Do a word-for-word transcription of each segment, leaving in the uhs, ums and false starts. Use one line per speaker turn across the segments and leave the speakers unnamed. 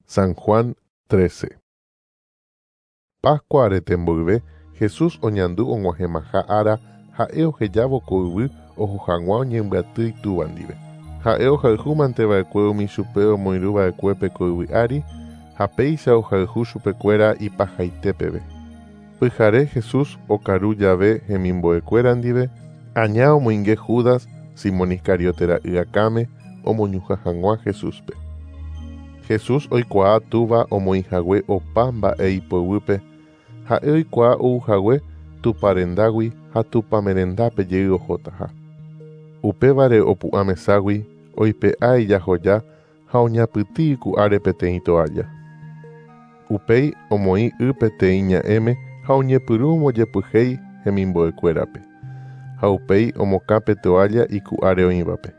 San Juan trece. Pascua arete mboyve, Jesús oñandu og̃uahẽmaha ára ha'e ohejávo ko yvy oho hag̃ua oñembyaty itúva ndive. Ha'e ohayhúmanteva'ekue umi chupe omoirũva'ekuépe ko yvy ári ha péicha ohayhu chupekuéra ipahaite peve. Pyhare Jesús okaru jave hemimbo'ekuéra ndive, aña omoinge Judas, Simón Iscariote ra'y akãme omoñuhã hag̃ua Jesúspe. Jesús oikuaa túva omoĩhague opa mba'e ipoguýpe, ha'e oikuaa ouhague Tupã rendágui ha Tupãme rendápe jey ohotaha. Upévare opu'ã meságui oipe'a ijahoja ha oñapytĩ iku'áre peteĩ toalla. Upéi omoĩ y peteĩ ña'ẽme ha oñepyrũ ombojepyhéi hemimbo'ekuérape. Ha upéi omokã pe toalla iku'áre oĩvape.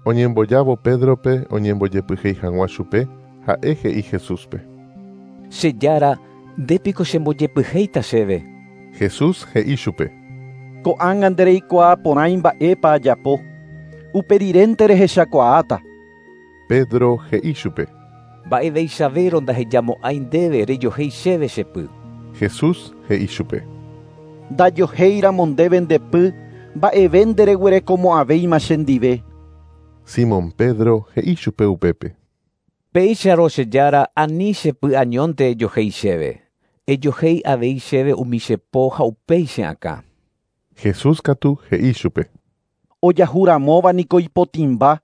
Oñembojávo Pédrope oñembojepyhéi hag̃ua chupe, ha'e he'i Jesúspe.
Che Jára, ndépiko chembojepyhéita chéve.
Jesús he'i chupe.
Ko'ág̃a ndereikuaa porãi mba'épa ajapo. Uperirente rehechakuaáta.
Pedro he'i chupe.
Mba'eveichavérõ ndahejamo'ãi ndéve rejohéi chéve che py.
Jesús he'i chupe.
Ndajohéiramo ndéve nde py, mba'eve ndereguerekomo'ãvéima chendive.
Simón Pedro he'i chupe upépe.
Péicharõ che Jára ani che py añónte ejohéi chéve. Ejohéi avei chéve umi che po ha upéi che akã.
Jesús katu he'i chupe.
Ojahuramóva niko ipotĩmba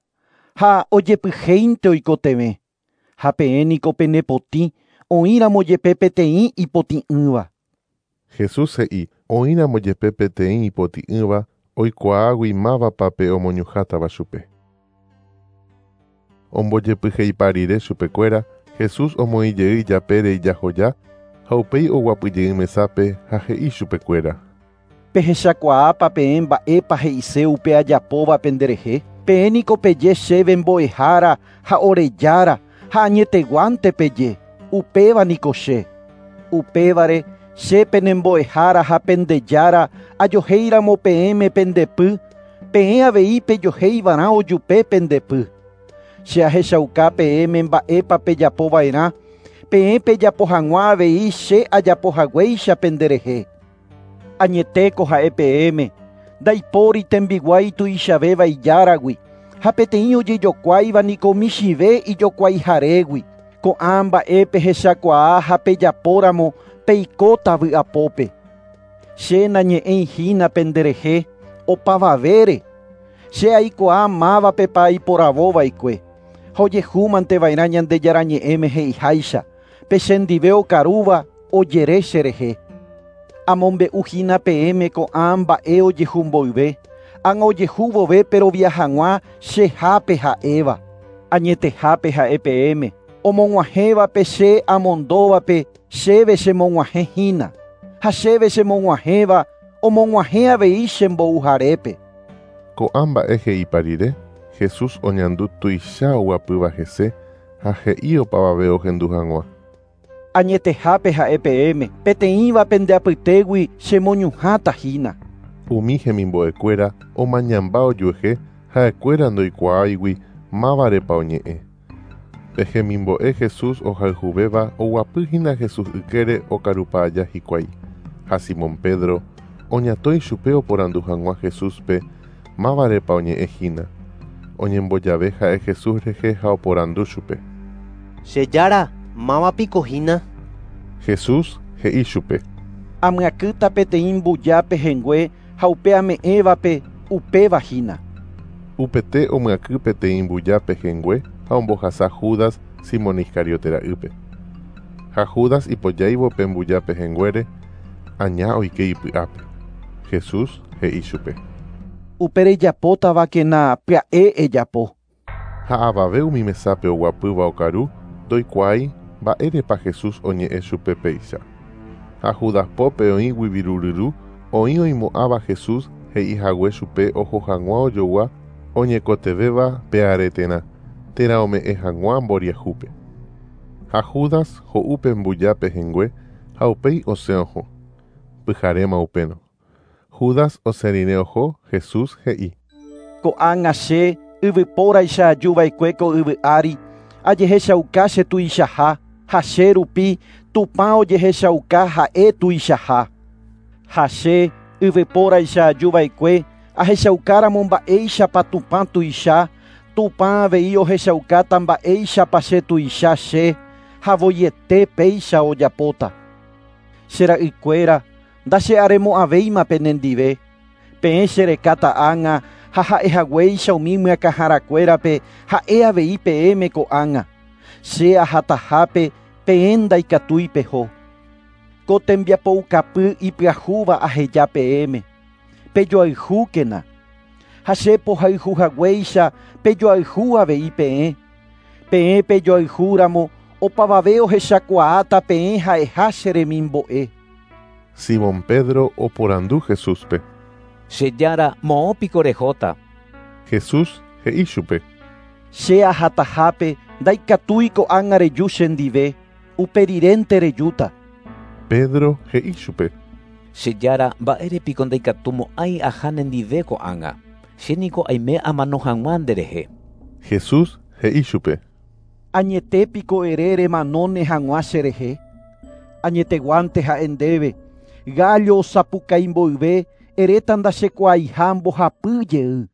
ha ojepyhéinte oikotevẽ. Ha peẽ niko penepotĩ oĩramo jepe peteĩ ipotĩ'ỹva.
Jesús he'i oĩramo jepe peteĩ ipotĩ'ỹva oikuaágui mávapa pe omoñuhãtava chupe. Ombojepyheipa rire chupekuéra, Jesús omoĩ jey ijapére ijahoja ha upéi oguapyjey mesápe ha he'i chupekuéra.
Pehechakuaápa peẽ mba'épa he'ise upe ajapóva penderehe. Peẽ niko peje chéve mbo'ehára ha orejára ha añeteguánte peje. Upéva niko che. Upévare che penembo'ehára ha pendejára ajohéiramo peẽme pendepy, peẽ avei pejohéivarã ojupe pendepy. Che ahechauka peẽme mba'épa pejapova'erã, peẽ pejapo hag̃ua avei che ajapohaguéicha penderehe. Añetéko ha'e peẽme, ndaipóri tembiguái tuichavéva ijáragui, ha peteĩ ojejokuáiva niko michĩve ijokuaiharégui. Ko'ã mba'e pehechakuaa ha pejapóramo peikóta vy'apópe. Che nañe'ẽihína penderehe opavavére. Che aikuaa mávapepa aiporavóva'ekue. Ha ojehúmanteva'erã Ñandejára ñe'ẽme he'iháicha, pe chendive okarúva ojere cherehe. Amombe'uhína peẽme ko'ã mba'e ojehumboyve, ág̃a ojehúvove perovia hag̃ua chehápe ha'éva. Añetehápe ha'e peẽme, omog̃uahẽvape che amondóvape chéve chemog̃uahẽhína, ha chéve chemog̃uahẽva omog̃uahẽ avei chembouharépe.
Ko'ã mba'e he'ipa rire, Jesús oñandu tuicha oguapýva hese ha he'i opavave ohendu hag̃ua.
Añetehápe ha'e peẽme, peteĩva pendeapytégui chemoñuhãtahína.
Umi hemimbo'ekuéra omañamba ojuehe ha'ekuéra ndoikuaáigui mávarepa oñe'ẽ. Pe hemimbo'e Jesús ohayhuvéva oguapýhína Jesús ykére okarupa aja hikuái. Ha Simón Pedro oñatõi chupe oporandu hag̃ua Jesúspe mávarepa oñe'ẽhína. Oñembojave ha'e Jesús rehe ha oporandu chupe.
Che Jára, mávapiko hína.
Jesús he'i chupe.
Amyakýta peteĩ mbuja pehẽngue ha upe ame'ẽvape upéva hína.
Upete omyakỹ peteĩ mbuja pehẽngue ha ombohasa Judas Simón Iscariote ra'ýpe. Ha Judas ipojáivo pe mbuja pehẽnguére, aña oike ipy'ápe. Jesús he'i chupe.
Upe rejapótavakena pya'e ejapo.
Ha avave umi mesápe oguapýva okaru ndoikuaái mba'érepa Jesús oñe'ẽ chupe péicha. Ha Judas pópe oĩgui viruryru oĩ oimo'ãva Jesús he'ihague chupe oho hag̃ua ojogua oñekotevẽva pe areterã térã ome'ẽ hag̃ua mboriahúpe. Ha Judas ho'u pe mbuja pehẽngue ha upéi osẽ oho. Pyharéma upérõ. Judas osẽ rire oho, Jesús he'i.
Ko'ág̃a che yvypóraicha ajuva'ekue ko yvy ári, ajehechauka che tuichaha. Ha che rupi Tupã ojehechauka ha'e tuichaha. Ha che yvypóraicha ajuva'ekue ahechaukáramo mba'éichapa Tupã tuicha, Tupã avei ohechaukáta mba'éichapa che tuicha che ha voiete péicha ojapóta. Che ra'ykuéra ndache'aremo'ãvéima penendive. Peẽ cherekáta ág̃a ha ha'ehaguéicha umi myakãharakuérape ha'e avei peẽme ko'ág̃a. Che ahatahápe peẽ ndaikatúi peho. Ko tembiapoukapy ipyahúva aheja peẽme. Pejoayhúkena. Ha che pohayhuhaguéicha pejoayhu avei peẽ. Peẽ pejoayhúramo opavave ohechakuaáta peẽ ha'eha che remimbo'e.
Simón Pedro oporandu Jesúspe.
Che Jára, moõ piko rehóta.
Jesús he'i chupe.
Che ahatahápe ndaikatúi ko'ág̃a reju chendive, uperirénte rejúta.
Pedro he'i chupe.
Che Jára, mba'érepiko ndaikatumo'ãi aha nendive ko'ág̃a. Che niko aime amano hag̃ua nderehe.
Jesús he'i chupe.
Añetépiko ere remanóne hag̃ua cherehe. Añeteguánte ha'e ndéve, gallo osapukái mboyve eréta ndachekuaaiha mbohapy jey.